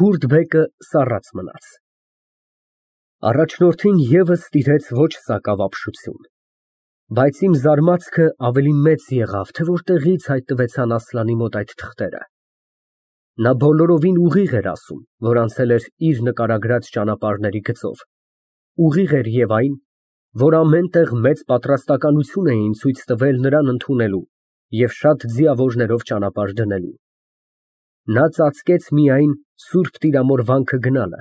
Քուրդ բեկը սառած մնաց։ Առաջնորդին ևս տիրեց ոչ սակավ ապշություն, բայց իմ զարմացքը ավելի մեծ եղավ, թե որտեղից հայտնվեցան Ասլանի մոտ այդ թղթերը։ Նա բոլորովին ուղիղ էր ասում, որ անցել էր իր նկարագրած ճանապարհների գծով, ուղիղ էր և այն, որ ամեն տեղ մեծ պատրաստականություն էին ցույց տվել նրան ընդունելու և շատ ձիավորներով ճանապարհ դնելու։ Նա ծածկեց միայն Սուրբ Տիրամոր վանքը գնալը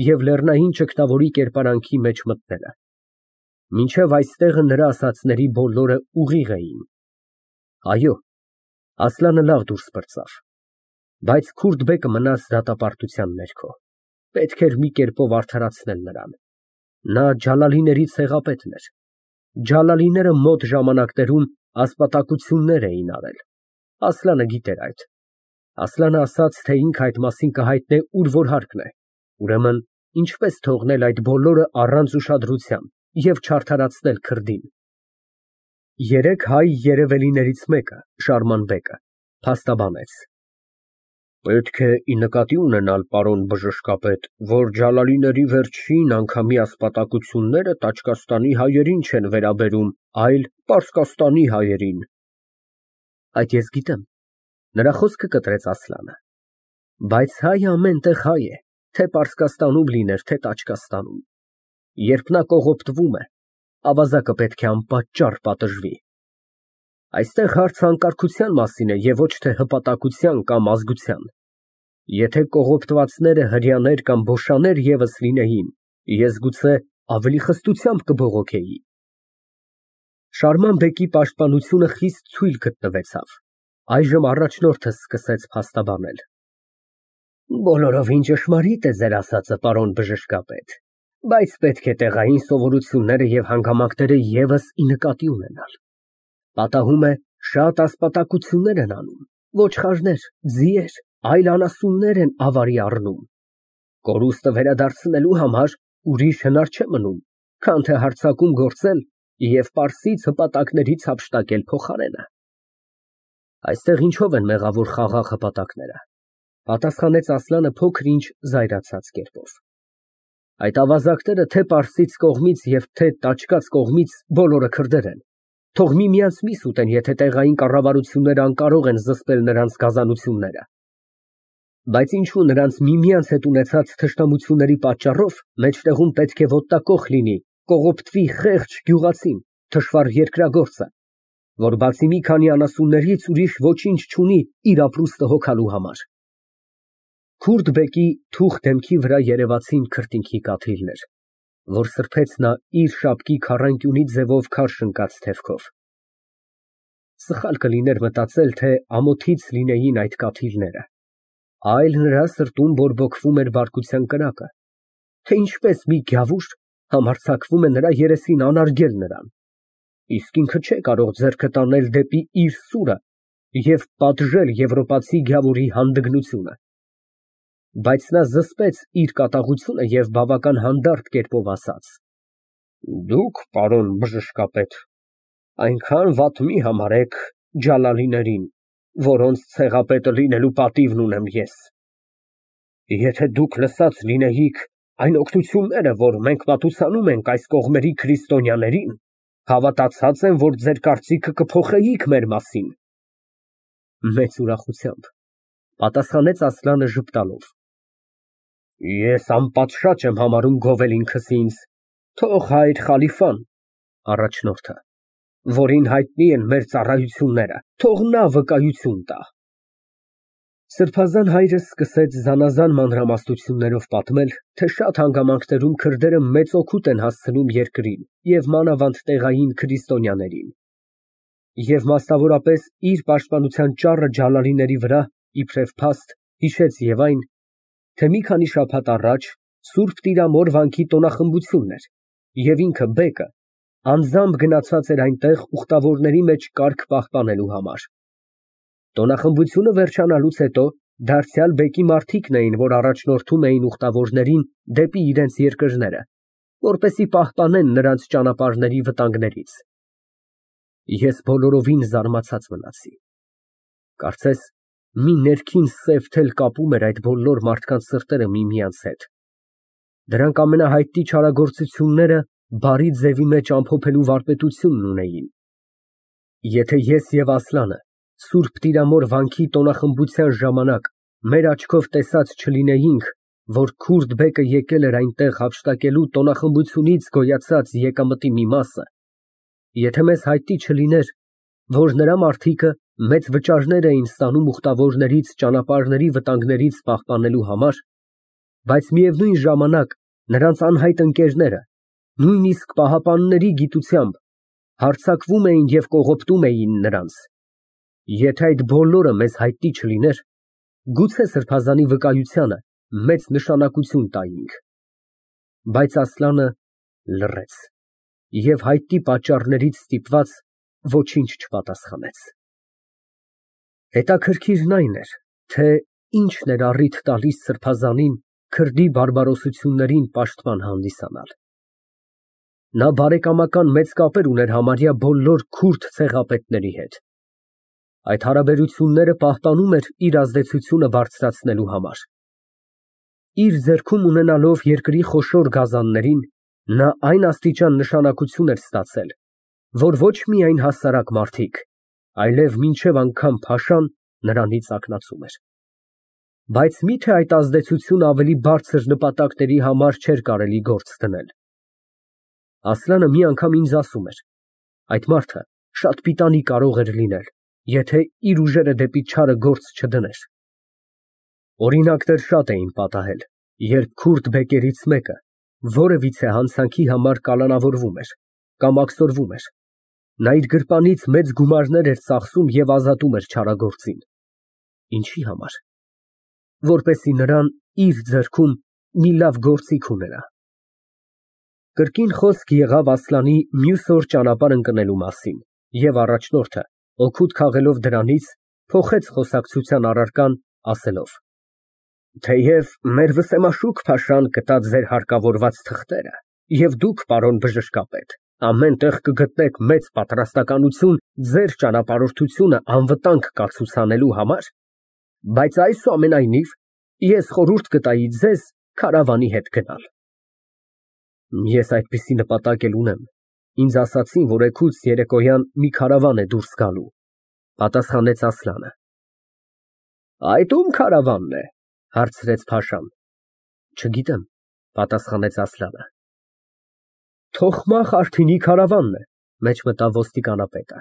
և լեռնային ճգնավորի կերպարանքի մեջ մտնելը, մինչև այստեղը նրա ասածների բոլորը ուղիղ էին։ Այո, Ասլանը լավ դուրս պրծավ, բայց Քուրդ բեկը մնաց դատապարտության ներքո, պետք էր մի կերպով արդարացնել նրան։ Նա ջալալիների ցեղապետն էր, ջալալիները մոտ ժամանակներում ասպատակություններ էին արել, Ասլանը գիտեր այդ, Ասլանը ասաց, թե ինքը այդ մասին կհայտնե ուր որ հարկն է, ուրեմն ինչպես թողնել այդ բոլորը առանց ուշադրության և չարդարացնել քրդին։ Երեք հայ երևելիներից մեկը, Շարման բեկը, փաստաբանեց. Պետք է ի նկատի ունենալ, պարոն բժշկապետ, որ ջալալիների վերջին անգամի ասպատակությունները Տաճկաստանի հայերին չեն վերաբերում, այլ Պարսկաստանի հայերին։ Այդ ես գիտեմ, նրա խոսքը կտրեց Ասլանը, բայց հայը ամեն տեղ հայ է, թե Պարսկաստանում լիներ, թե Տաճկաստանում, երբ նա կողոպտվում է, ավազակը պետք է անպատճառ պատժվի։ Այստեղ հարցը անկարգության մասին է և ոչ թե հպատակության կամ ազգության։ Եթե կողոպտվածները հրեաներ կամ բոշաներ ևս լինեին, ես գուցե ավելի խստությամբ կբողոքեի։ Շարման բեկի պաշտպանությունը խիստ թույլ գտնվեցավ, այժմ առաջնորդը սկսեց փաստաբանել։ Բոլորովին ճշմարիտ է ձեր ասածը, պարոն բժշկապետ, բայց պետք է տեղային սովորությունները և հանգամանքները ևս ի նկատի ունենալ։ Պատահում է, շատ ասպատակություններ են անում, ոչխարներ, ձիեր, այլ անասուններ են ավարի առնում։ Կորուստը վերադարձնելու համար ուրիշ հնար չէ մնում, քան թե հարձակում գործել և Պարսից հպատակներից հափշտակել փոխարենը։ Այստեղ ինչով են մեղավոր խաղաղ հպատակները, պատասխանեց Ասլանը փոքր-ինչ զայրացած կերպով։ Այդ ավազակները թե Պարսից կողմից և թե Տաճկաց կողմից բոլորը քրդեր են, թող միմյանց միս ուտեն, եթե տեղային կառավարությունները անկարող են զսպել նրանց գազանությունները։ Բայց ինչու նրանց միմյանց հետ ունեցած թշնամությունների պատճառով մեջտեղում պետք է ոտնակոխ լինի, կողոպտվի խեղճ գյուղացին, թշվառ երկրագործը, որ բացի մի քանի անասուններից ուրիշ ոչինչ չունի իր ապրուստը հոգալու համար։ Քուրդ բեկի թուխ դեմքի վրա երևացին քրտինքի կաթիլներ, որ սրբեց նա իր շապկի քառանկյունի ձևով քարշ ընկած թևքով։ Սխալ կլիներ մտածել, թե ամոթից լինեին այդ կաթիլները, այլ նրա սրտում բորբոքվում էր բարկության կրակը, թե ինչպես մի գավուր համարձակվում է նրա երեսին անարգել նրան, իսկ ինքը չէ կարող ձեռքը տանել դեպի իր սուրը և պատժել եվրոպացի գավուրի հանդգնությունը։ Բայց նա զսպեց իր կատաղությունը և բավական հանդարտ կերպով ասաց. Դուք, պարոն բժշկապետ, այնքան վատ մի համարեք ջալալիներին, որոնց ցեղապետը լինելու պատիվն ունեմ ես։ Եթե դուք լսած լինեիք այն օգնությունները, որ մենք մատուցանում ենք այս կողմերի քրիստոնյաներին, հավատացած եմ, որ ձեր կարծիքը կփոխեիք մեր մասին։ Մեծ ուրախությամբ պատասխանեց Ասլանը ժպտալով։ Ես անպատշաճ եմ համարում գովել ինքս ինձ, թող հայր խալիֆան (առաջնորդը), որին հայտնի են մեր ծառայությունները, թող նա վկայություն տա։ Սրբազան հայրը սկսեց զանազան մանրամասնություններով պատմել, թե շատ հանգամանքներում քրդերը մեծ օգուտ են հասցնում երկրին և մանավանդ տեղային քրիստոնյաներին, և մասնավորապես իր պաշտպանության ճառը ջալալիների վրա, իբրև փաստ, հիշեց և այն, թե մի քանի շաբաթ առաջ Սուրբ Տիրամոր վանքի տոնախմբությունն էր, և ինքը բեկը անձամբ գնացած էր այնտեղ ուխտավորների մեջ կարգ պահպանելու համար։ Տոնախմբությունը վերջանալուց հետո դարձյալ բեկի մարդիկն էին, որ առաջնորդում էին ուխտավորներին դեպի իրենց երկրները, որպեսզի պահպանեն նրանց ճանապարհների վտանգներից։ Ես բոլորովին զարմացած մնացի։ Կարծես մի ներքին սև թել կապում էր այդ բոլոր մարդկանց սրտերը միմյանց հետ։ Դրանք ամենահայտնի չարագործությունները բարի ձևի մեջ ամփոփելու վարպետությունն ունեին։ Եթե ես և Ասլանը Սուրբ Տիրամոր վանքի տոնախմբության ժամանակ մեր աչքով տեսած չլինեինք, որ քուրդ բեկը եկել էր այնտեղ հափշտակելու տոնախմբությունից գոյացած եկամտի մի մասը, եթե մեզ հայտնի չլիներ, որ նրա մարդիկը մեծ վճարներ էին ստանում ուխտավորներից ճանապարհների վտանգներից պահպանելու համար, բայց միևնույն ժամանակ նրանց անհայտ ընկերները, նույնիսկ պահապանների գիտությամբ, հարձակվում էին և կողոպտում էին նրանց, եթե այդ բոլորը մեզ հայտնի չլիներ, գուցե սրբազանի վկայությանը մեծ նշանակություն տայինք։ Բայց Ասլանը լռեց և հայտնի պատճառներից ստիպված ոչինչ չպատասխանեց։ Հետաքրքիրն այն էր, թե ինչն էր առիթ տալիս սրբազանին քրդի բարբարոսություններին պաշտպան հանդիսանալ։ Նա բարեկամական մեծ կապեր ուներ համարյա բոլոր քուրդ ցեղապետների հետ։ Այդ հարաբերությունները պահպանում էր իր ազդեցությունը բարձրացնելու համար։ Իր ձեռքում ունենալով երկրի խոշոր գազաններին, նա այն աստիճան նշանակություն էր ստացել, որ ոչ միայն հասարակ մարդիկ, այլև մինչև անգամ փաշան նրանից ակնացում էր։ Բայց մի՞թե այդ ազդեցությունը ավելի բարձր նպատակների համար չէր կարելի գործ դնել։ Ասլանը մի անգամ ինձ ասում էր. այդ մարդը շատ պիտանի կարող էր լինել, եթե իր ուժերը դեպի չարը գործ չդներ։ Օրինակներ շատ էին պատահել, երբ քուրդ բեկերից մեկը որևիցե հանցանքի համար կալանավորվում էր կամ աքսորվում էր, նա իր գրպանից մեծ գումարներ էր ծախսում և ազատում էր չարագործին։ Ինչի համար։ Որպեսզի նրան իր ձեռքում մի լավ գործիք ունենա։ Կրկին խոսք եղավ Ասլանի մյուս օր ճանապարհ ընկնելու մասին, և առաջնորդը, օգուտ քաղելով դրանից, փոխեց խոսակցության առարկան, ասելով. Թեև մեր վսեմաշուք փաշան կտա ձեր հարկավորված թղթերը, և դուք, պարոն բժշկապետ, ամեն տեղ կգտնեք մեծ պատրաստականություն ձեր ճանապարհորդությունը անվտանգ կացուցանելու համար, բայց այսուամենայնիվ ես խորհուրդ կտայի ձեզ քարավանի հետ գնալ։ Ես այդպիսի նպատակ էլ ունեմ, ինձ ասացին, որ էգուց երեկոյան մի քարավան է դուրս գալու, պատասխանեց Ասլանը։ Այդ ում քարավանն է, հարցրեց փաշան։ Չգիտեմ, պատասխանեց Ասլանը։ Թոխմախ Արտինի քարավանն է, մեջ մտավ ոստիկանապետը։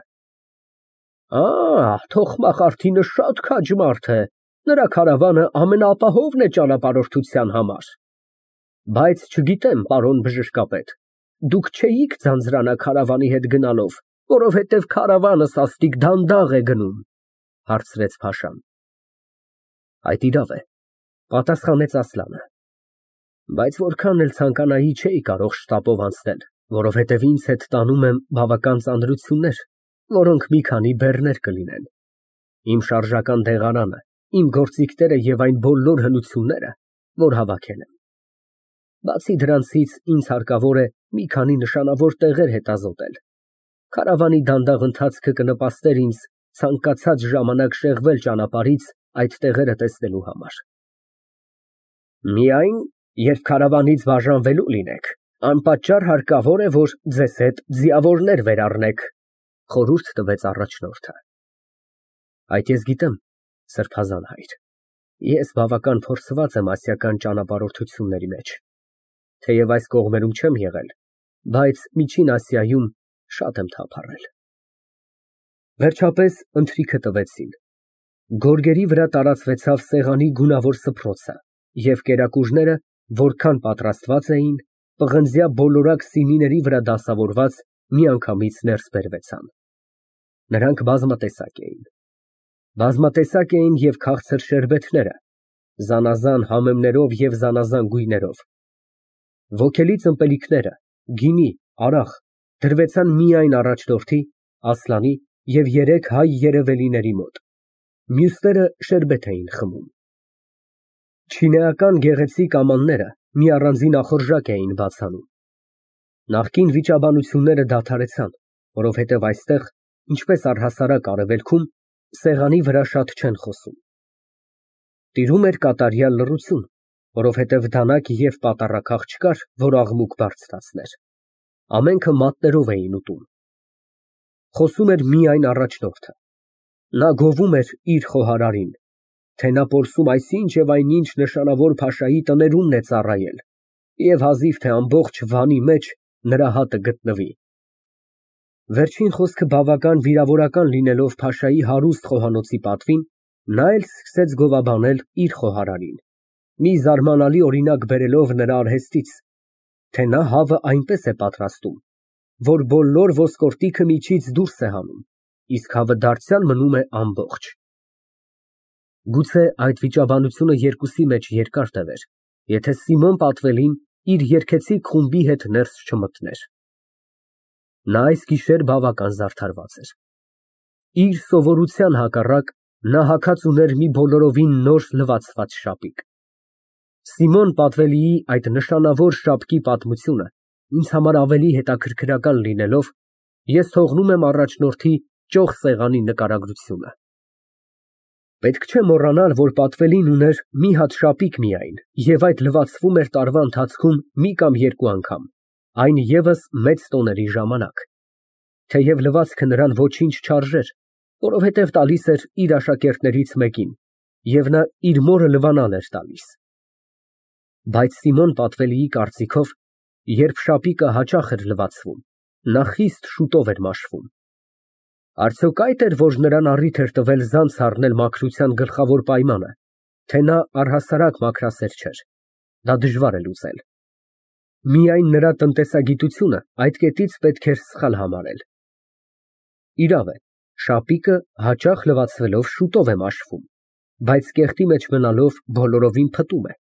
Թոխմախ Արտինը շատ քաջ մարդ է, նրա քարավանը ամենաապահովն է ճանապարհորդության համար։ Բայց չգիտեմ, պարոն բժշկապետ, դուք չէիք ձանձրանա քարավանի հետ գնալով, որովհետև քարավանը սաստիկ դանդաղ է գնում, հարցրեց փաշան։ Այդ իրավ է, պատասխանեց Ասլանը։ Բայց որքան էլ ցանկանայի չէի կարող շտապով անցնել, որովհետև ինձ հետ տանում եմ բավական ծանրություններ, որոնք մի քանի բեռներ կլինեն։ Իմ շարժական դեղարանը, իմ գործիքները և այն բոլոր հնությունները, որ հավաքել եմ։ Բացի դրանցից ինձ հարկավոր է մի քանի նշանավոր տեղեր հետազոտել։ Քարավանի դանդաղ ընթացքը կնպաստեր ինձ ցանկացած ժամանակ շեղվել ճանապարհից այդ տեղերը տեսնելու համար։ Միայն, երբ քարավանից բաժանվելու լինեք, անպատճառ հարկավոր է, որ ձեզ հետ ձիավորներ վերառնեք, խորհուրդ տվեց առաջնորդը։ Այդ ես գիտեմ, սրբազան հայր, ես բավական փորձված եմ ասիական ճանապարհորդությունների մեջ, թեև այս կողմերում չեմ եղել, բայց Միջին Ասիայում շատ եմ թափառել։ Վերջապես ընթրիքը տվեցին։ Գորգերի վրա տարածվեցավ սեղանի գունավոր սփռոցը, և կերակուրները, որքան պատրաստված էին, պղնձյա բոլորակ սիմիների վրա դասավորված, միանգամից ներս բերվեցան։ Նրանք բազմատեսակ էին։ Բազմատեսակ էին և քաղցր շերբեթները, զանազան համեմներով և զանազան գույներով։ Ոգելից ըմպելիքները, գինի, արախ, դրվեցան միայն առաջնորդի, Ասլանի և երեք հայ երևելիների մոտ, մյուսները շերբեթ էին խմում։ Չինեական գեղեցիկ ամանները մի առանձին ախորժակ էին բաց անում։ Նախկին վիճաբանությունները դադարեցան, որովհետև այստեղ, ինչպես առհասարակ արևելքում, սեղանի վրա շատ չեն խոսում։ Տիրում էր կատարյալ լռություն, որովհետև դանակ և պատառաքաղ չկար, որ աղմուկ բարձրացներ։ Ամենքը մատներով էին ուտում։ Խոսում էր միայն առաջնորդը։ Նա գովում էր իր խոհարարին, թե նա որսում այսինչ և այնինչ նշանավոր փաշայի տներումն է ծառայել, և հազիվ թե ամբողջ Վանի մեջ նրա հատը գտնվի։ Վերջին խոսքը բավական վիրավորական լինելով փաշայի հարուստ խոհանոցի պատվին, նա էլ սկսեց գովաբանել իր խոհարարին, մի զարմանալի օրինակ բերելով նրա արհեստից, թե նա հավը այնպես է պատրաստում, որ բոլոր ոսկորդիքը միջից դուրս է հանում, իսկ հավը դարձյալ մնում է ամբողջ։ Գուցե այդ վիճաբանությունը երկուսի մեջ երկար տևեր, եթե Սիմոն Պատվելին իր երգեցիկ խումբի հետ ներս չմտներ։ Նա այս գիշեր բավական զարդարված էր։ Իր սովորության հակառակ, նա հագած ուներ մի բոլորովին նոր լվացված շապիկ։ Սիմոն Պատվելիի այդ նշանավոր շապկի պատմությունը ինձ համար ավելի հետաքրքրական լինելով, ես թողնում եմ առաջնորդի ճոխ սեղանի նկարագրությունը։ Պետք չէ մոռանալ, որ Պատվելին ուներ մի հատ շապիկ միայն, և այդ լվացվում էր տարվա ընթացքում մի կամ երկու անգամ, այն ևս մեծ տոների ժամանակ, թեև լվացքը նրան ոչինչ չարժեր, որովհետև տալիս էր իր աշակերտներից մեկին, և նա իր մորը լվանալ էր տալիս։ Բայց Սիմոն Պատվելիի կարծիքով, երբ շապիկը հաճախ էր լվացվում, նա խիստ շուտով էր մաշվում։ Արդյոք այդ էր, որ նրան առիթ էր տվել ձանձ առնել մաքրության գլխավոր պայմանը, թե նա առհասարակ մաքրասեր չէր, դա դժվար է լուծել։ Միայն նրա տնտեսագիտությունը այդ կետից պետք էր սխալ համարել։ Իրավ է, շապիկը հաճախ լվացվելով շուտով է մաշվում, բայց կեղտի մեջ մնալով բոլորովին փտում է։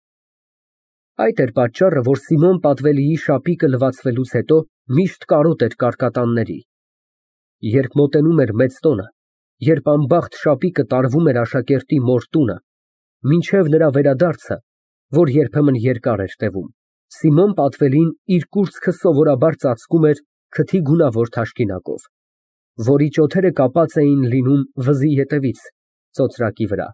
Այդ էր պատճառը, որ Սիմոն Պատվելիի շապիկը լվացվելուց հետո միշտ կարոտ էր կարկատանների։ Երբ մոտենում էր մեծ տոնը, երբ անբախտ շապիկը տարվում էր աշակերտի մոր տունը, մինչև նրա վերադարձը, որ երբեմն երկար էր տևում, Սիմոն Պատվելին իր կուրծքը սովորաբար ծածկում էր քթի գունավոր թաշկինակով, որի ճոթերը կապած էին լինում վզի ետևից, ծոծրակի վրա։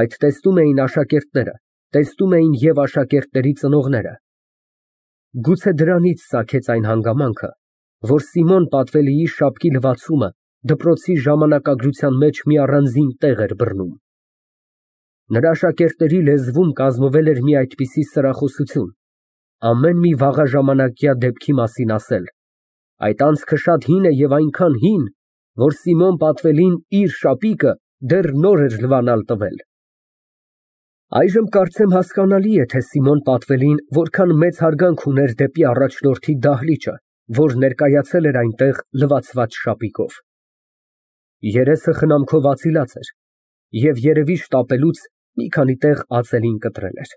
Այդ տեսնում էին աշակերտները, տեսնում էին և աշակերտների ծնողները։ Գուցե դրանից ծագեց այն հանգամանքը, որ Սիմոն Պատվելիի շապկի լվացումը դպրոցի ժամանակագրության մեջ մի առանձին տեղ էր բռնում։ Նրա աշակերտների լեզվում կազմվել էր մի այդպիսի սրախոսություն, ամեն մի վաղաժամանակյա դեպքի մասին ասել. այդ անցքը շատ հին է և այնքան հին, որ Սիմոն Պատվելին իր շապիկը դեռ նոր էր լվանալ տվել։ Այժմ կարծեմ հասկանալի է, թե Սիմոն Պատվելին որքան մեծ հարգանք ուներ դեպի առաջնորդի դահլիճը, որ ներկայացել էր այնտեղ լվացված շապիկով։ Երեսը խնամքով ածիլած էր, և երևի շտապելուց մի քանի տեղ ածելին կտրել էր։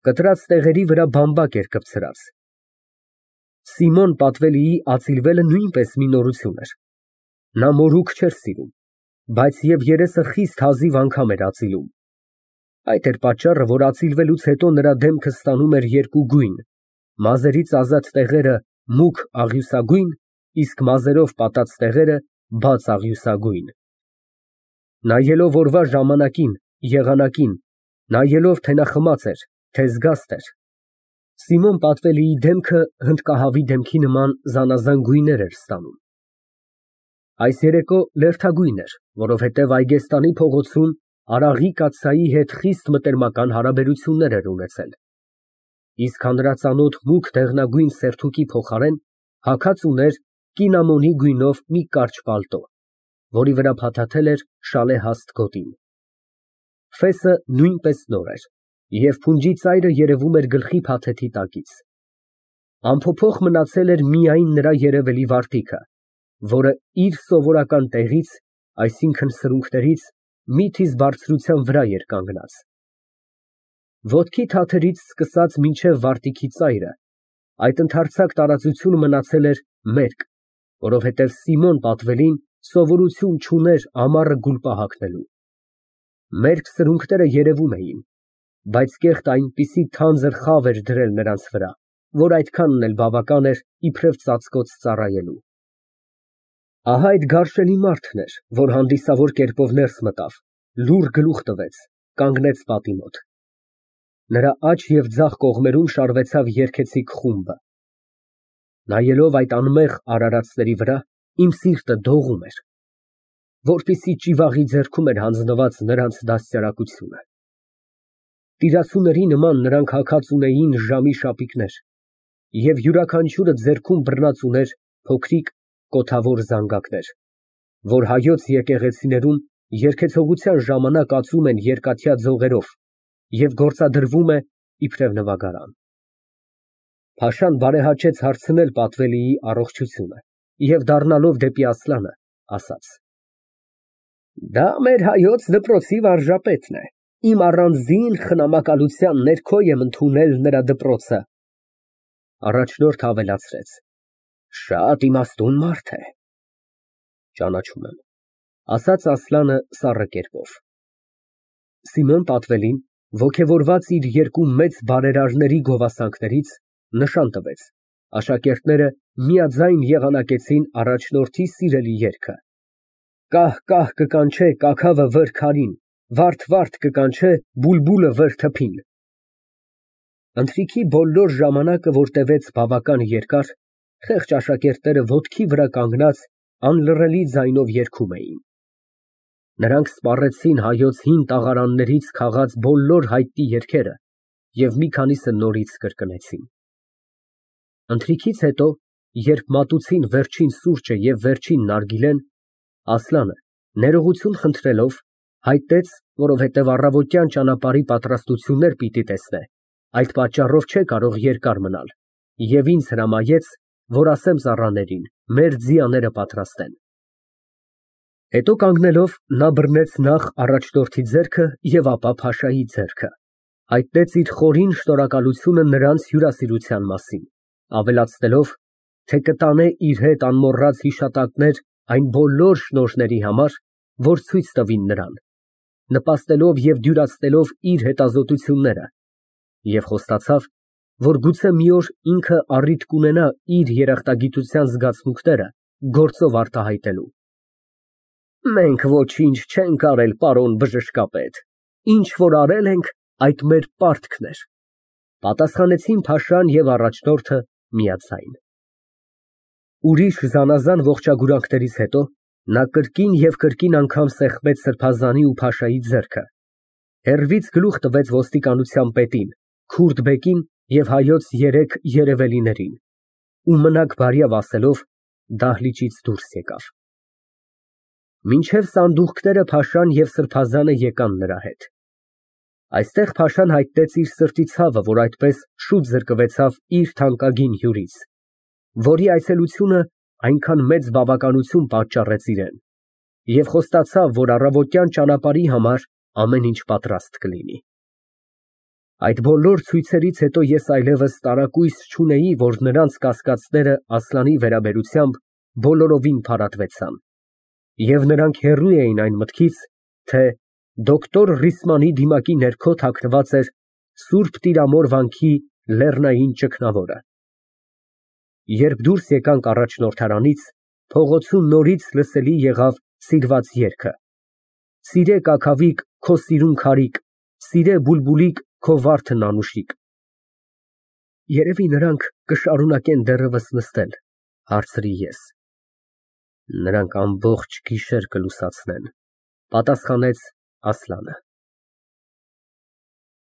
Կտրած տեղերի վրա բամբակ էր կպցրած։ Սիմոն Պատվելիի ածիլվելը նույնպես մի նորություն էր։ Նա մորուք չէր սիրում, բայց և երեսը խիստ հազիվ անգամ էր ածիլում։ Այդ էր պատճառը, որ ածիլվելուց հետո նրա դեմքը ստանում էր երկու գույն, մազերից ազատ տեղերը մուգ աղյուսագույն, իսկ մազերով պատած տեղերը բաց աղյուսագույն։ Նայելով օրվա ժամանակին, եղանակին, նայելով, թե նա խմած էր, թե զգաստ էր, Սիմոն Պատվելիի դեմքը հնդկահավի դեմքի նման զանազան գույներ էր ստանում։ Այս երեկո լերդագույն էր, որովհետև Այգեստանի փողոցում Արաղի կաթսայի հետ խիստ մտերմական հարաբերություններ էր ունեցել, իսկ հանրածանոթ մուգ դեղնագույն սերթուկի փոխարեն հագած ուներ կինամոնի գույնով մի կարճ պալտո, որի վրա փաթաթել էր շալեհաստ գոտին։ Ֆեսը նույնպես նոր էր, և փունջի ծայրը երևում էր գլխի փաթեթի տակից։ Անփոփոխ մնացել էր միայն նրա երևելի վարտիքը, որը իր սովորական տեղից, այսինքն սրունքներից, մի թիզ բարձրության վրա էր կանգնած։ Ոտքի թաթերից սկսած մինչև վարտիքի ծայրը, այդ ընդարձակ տարածությունը մնացել էր մերկ, որովհետև Սիմոն Պատվելին սովորություն չուներ ամառը գուլպա հագնելու։ Մերկ սրունքները երևում էին, բայց կեղտը այնպիսի թանձր խավ էր դրել նրանց վրա, որ այդքանն էլ բավական էր իբրև ծածկոց ծառայելու։ Ահա այդ գարշելի մարդն էր, որ հանդիսավոր կերպով ներս մտավ, լուռ գլուխ տվեց, կանգնեց պատի մոտ։ Նրա աջ և ձախ կողմերում շարվեցավ երգեցիկ խումբը։ Նայելով այդ անմեղ արարածների վրա, իմ սիրտը դողում էր, որպեսզի ճիվաղի ձեռքում էր հանձնված նրանց դաստիարակությունը։ Տիրացուների նման նրանք հագած ունեին ժամի շապիկներ և յուրաքանչյուրը ձեռքում բռնած ուներ փոքրիկ կոթավոր զանգակներ, որ հայոց եկեղեցիներում երգեցողության ժամանակ ածում են երկաթյա ձողերով և գործադրվում է իբրև նվագարան։ Փաշան բարեհաճեց հարցնել պատվելիի առողջությունը և դառնալով դեպի Ասլանը, ասաց. Դա մեր հայոց դպրոցի վարժապետն է, իմ առանձին խնամակալության ներքո եմ ընդունել նրա դպրոցը։ Առաջնորդը ավելացրեց. Շատ իմաստուն մարդ է։ Ճանաչում եմ, ասաց Ասլանը սառը կերպով։ Սիմոն պատվելին, ոգևորված իր երկու մեծ բարերարների գովասանքներից, նշան տվեց, աշակերտները միաձայն եղանակեցին առաջնորդի սիրելի երգը. Կահ կկանչե կաքավը վր քարին, վարդ կկանչե բուլբուլը վր թփին։ Ընթրիքի բոլոր ժամանակը, որ տևեց բավական երկար, խեղճ աշակերտները ոտքի վրա կանգնած անլռելի ձայնով երգում էին։ Նրանք սպառեցին հայոց հին տաղարաններից քաղած բոլոր հայտնի երգերը և մի քանիսը նորից կրկնեցին։ Ընթրիքից հետո, երբ մատուցին վերջին սուրճը և վերջին նարգիլեն, Ասլանը, ներողություն խնդրելով, հայտնեց, որովհետև առավոտյան ճանապարհի պատրաստություններ պիտի տեսնե, այդ պատճառով չէ կարող երկար մնալ, և ինձ հրամայեց, որ ասեմ ծառաներին, մեր ձիաները պատրաստեն։ Հետո կանգնելով, նա բռնեց նախ առաջնորդի ձեռքը և ապա Փաշայի ձեռքը, հայտնեց իր խորին շնորհակալությունը նրանց հյուրասիրության մասին, ավելացնելով, թե կտանե իր հետ անմոռաց հիշատակներ այն բոլոր շնորհների համար, որ ցույց տվին նրան, նպաստելով և դյուրացնելով իր հետազոտությունները, և խոստացավ, որ գուցե մի օր ինքը առիթ կունենա իր երախտագիտության զգացմունքները գործով արտահայտելու։ Մենք ոչինչ չենք արել, պարոն բժշկապետ, ինչ որ արել ենք, այդ մեր պարտքն էր, պատասխանեցին Փաշան և առաջնորդը միաձայն։ Ուրիշ զանազան ողջագուրանքներից հետո նա կրկին և կրկին անգամ սեղմեց սրբազանի ու Փաշայի ձեռքը, հեռվից գլուխ տվեց ոստիկանության պետին, քուրդ բեկին և հայոց երեք երևելիներին ու մնաք բարյավ ասելով դահլիճից դուրս եկավ։ Մինչև սանդուղքները Փաշան և սրբազանը եկան նրա հետ։ Այստեղ Փաշան հայտնեց իր սրտի ցավը, որ այդպես շուտ զրկվեցավ իր թանկագին հյուրից, որի այցելությունը այնքան մեծ բավականություն պատճառեց իրան, և խոստացավ, որ առավոտյան ճանապարհի համար ամեն ինչ պատրաստ կլինի։ Այդ բոլոր ցույցերից հետո ես այլևս տարակույս չունեի, որ նրանց կասկածները Ասլանի վերաբերությամբ բոլորովին փարատվեցան, և նրանք հեռու էին այն մտքից, թե դոկտոր Ռիսմանի դիմակի ներքո թաքնված էր Սուրբ Տիրամոր վանքի լեռնային ճգնավորը։ Երբ դուրս եկանք առաջնորդարանից, փողոցում նորից լսելի եղավ սիրված երգը. Սիրե կաքավիկ, քո սիրուն քարիկ, սիրե բուլբուլիկ, քո վարդն անուշիկ։ Երևի նրանք կշարունակեն դեռևս նստել, հարցրի ես։ Նրանք ամբողջ գիշեր կլուսացնեն, պատասխանեց Ասլանը։